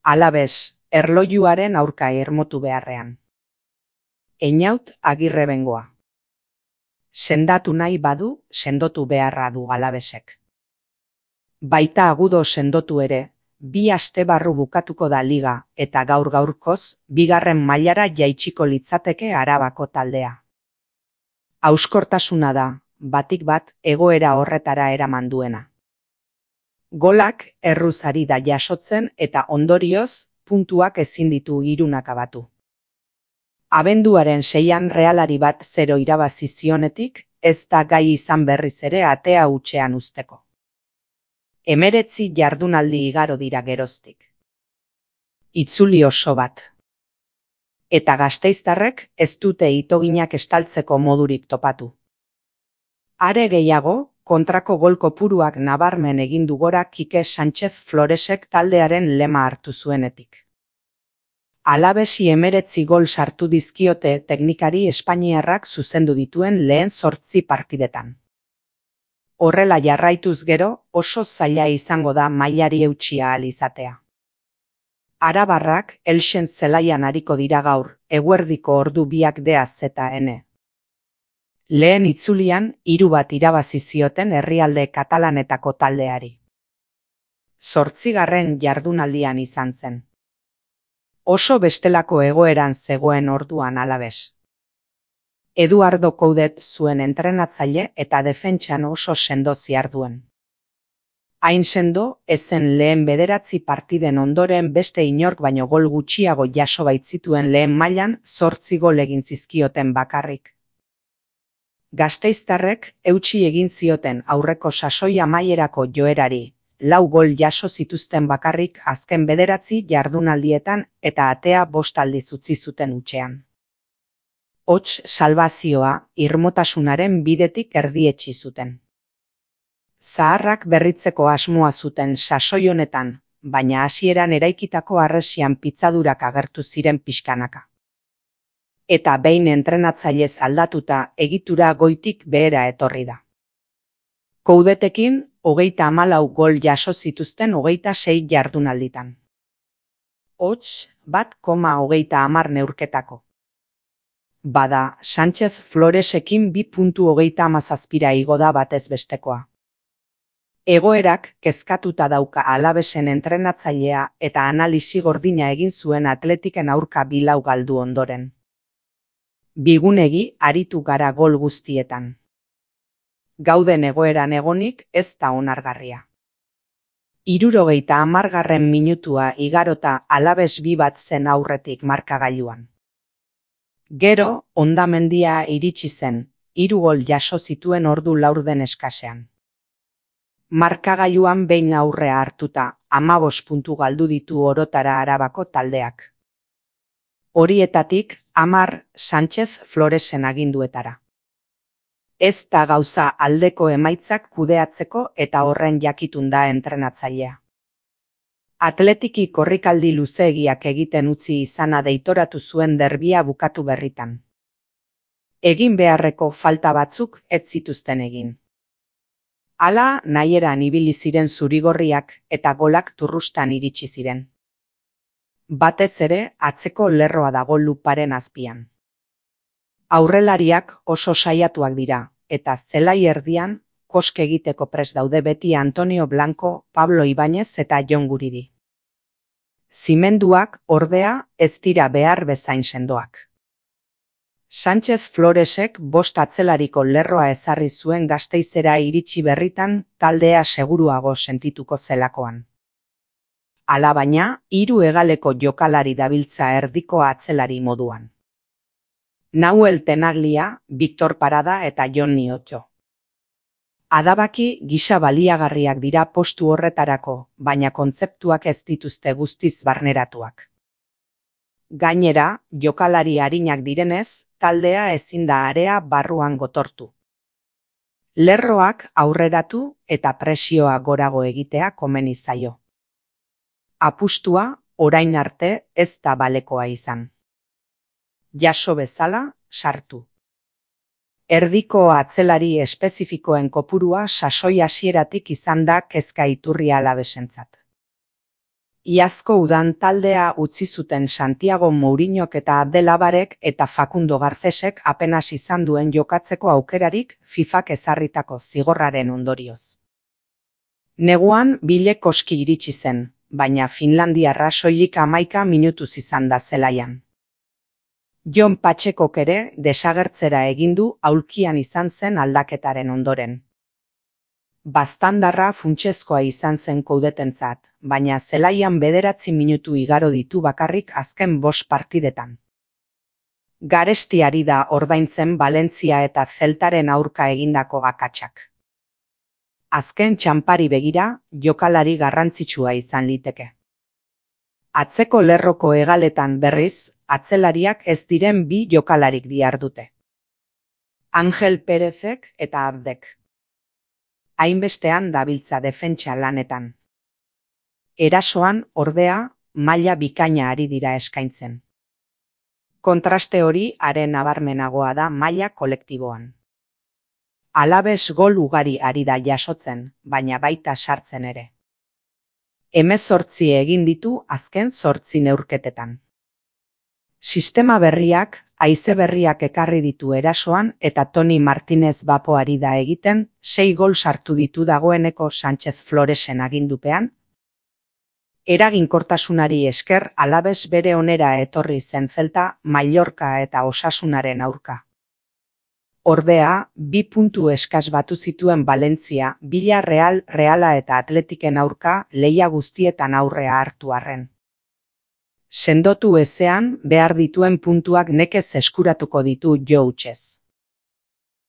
Alabez, erlojuaren aurka irmotu beharrean. Einaut Agirre Bengoa. Sendatu nahi badu, sendotu beharra du Alabezek. Baita agudo sendotu ere, 2 aste barru bukatuko da liga eta gaur-gaurkoz, 2. mailara jaitsiko litzateke Arabako taldea. Hauskortasuna da, batik bat, egoera horretara eraman duena. Golak erruz ari da jasotzen eta ondorioz, puntuak ezin ditu hirunak abatu. Abenduaren 6an Realari 1-0 irabazi zionetik, ez da gai izan berriz ere atea hutsean uzteko. 19 jardunaldi igaro dira geroztik. Itzuli oso bat. Eta gasteiztarrek ez dute itoginak estaltzeko modurik topatu. Are gehiago, kontrako gol kopuruak nabarmen egin du gora Kike Sánchez Floresek taldearen lema hartu zuenetik. Alabesi 19 gol sartu dizkiote teknikari espainiarrak zuzendu dituen lehen 8 partidetan. Horrela jarraituz gero, oso zaila izango da mailari eutsia ahal izatea. Arabarrak Elxen zelaian ariko dira gaur, eguerdiko ordu 2:00 Lehen itzulian 3-1 irabazi zioten herrialde katalanetako taldeari. 8. jardunaldian izan zen. Oso bestelako egoeran zegoen orduan Alabez. Eduardo Coudet zuen entrenatzaile eta defentsan oso sendo ziharduen. Hain sendo, ezen lehen 9 partiden ondoren beste inork baino gol gutxiago jaso baitzituen lehen mailan 8 gol egin zizkioten bakarrik. Gasteiztarrek eutsi egin zioten aurreko sasoi amaierako joerari, 4 gol jaso zituzten bakarrik azken 9 jardunaldietan eta atea 5 aldiz utzi zuten hutsean. Hots salbazioa irmotasunaren bidetik erdietsi zuten. Zaharrak berritzeko asmoa zuten sasoi honetan, baina hasieran eraikitako harresian pitzadurak agertu ziren pixkanaka. Eta behin entrenatzailez aldatuta egitura goitik behera etorri da. Coudetekin 34 gol jaso zituzten 26 jardunalditan. Hots 1,30 neurketako. Bada, Sánchez Floresekin 2,37 igo da batez bestekoa. Egoerak kezkatuta dauka Alabesen entrenatzailea eta analisi gordina egin zuen Atletiken aurka 4 galdu ondoren. Bigunegi aritu gara gol guztietan. Gauden egoeran egonik ez da onargarria. 70. minutua igarota Alabes 2-1 zen aurretik markagailuan. Gero, Hondamendia iritsi zen, 3 gol jaso zituen ordu laurden eskasean. Markagailuan behin aurrea hartuta, 15 puntu galdu ditu orotara Arabako taldeak. Horietatik, 10 Sánchez Floresen aginduetara. Ez da gauza aldeko emaitzak kudeatzeko eta horren jakitun da entrenatzailea. Atletiki korrikaldi luzeegiak egiten utzi izana deitoratu zuen derbia bukatu berritan. Egin beharreko falta batzuk ez zituzten egin. Hala nahieran ibili ziren zurigorriak eta golak turrustan iritsi ziren. Batez ere atzeko lerroa dago luparen azpian. Aurrelariak oso saiatuak dira, eta zelai erdian koske egiteko prest daude beti Antonio Blanco, Pablo Ibáñez eta Jon Guridi. Zimenduak, ordea, ez dira behar bezain sendoak. Sánchez Floresek 5 atzelariko lerroa ezarri zuen Gasteizera iritsi berritan taldea seguruago sentituko zelakoan. Alabaina, 3 hegaleko jokalari dabiltza erdiko atzelari moduan. Nahuel Tenaglia, Victor Parada eta Jon Niotxo. Adabaki gisa baliagarriak dira postu horretarako, baina kontzeptuak ez dituzte guztiz barneratuak. Gainera, jokalari arinak direnez, taldea ezin da area barruan gotortu. Lerroak aurreratu eta presioa gorago egitea komeni zaio. Apustua, orain arte, ez da balekoa izan. Jaso bezala, sartu. Erdiko atzelari espezifikoen kopurua sasoi hasieratik izan da kezka iturria Alabesentzat. Iazko udan taldea utzi zuten Santiago Mourinhok eta Abdelabarek eta Facundo Garcesek apenas izan duen jokatzeko aukerarik FIFak ezarritako zigorraren ondorioz. Neguan bile koski iritsi zen, baina Finlandiarra soilik 11 minutuz izan da zelaian. Jon Patxekok ere desagertzera egin du aulkian izan zen aldaketaren ondoren. Baztandarra funtsezkoa izan zen koudetentzat, baina zelaian 9 minutu igaro ditu bakarrik azken 5 partidetan. Garesti ari da ordaintzen Valentzia eta Zeltaren aurka egindako akatsak. Azken txanpari begira, jokalari garrantzitsua izan liteke. Atzeko lerroko hegaletan berriz, atzelariak ez diren 2 jokalarik dihardute. Angel Perezek eta Abdek. Hainbestean dabiltza defentsa lanetan. Erasoan, ordea, maila bikaina ari dira eskaintzen. Kontraste hori are nabarmenagoa da maila kolektiboan. Alaves gol ugari ari da jasotzen, baina baita sartzen ere. 18 egin ditu azken 8 neurketetan. Sistema berriak, haize berriak ekarri ditu erasoan eta Toni Martinez Bapo ari da egiten 6 gol sartu ditu dagoeneko Sánchez Floresen agindupean. Eraginkortasunari esker Alaves bere onera etorri zen Zelta, Mallorca eta Osasunaren aurka. Ordea, 2 puntu eskas batu zituen Valentzia, Villarreal, Reala eta Atletiken aurka lehia guztietan aurrea hartu arren. Sendotu ezean behar dituen puntuak nekez eskuratuko ditu jo hutsez.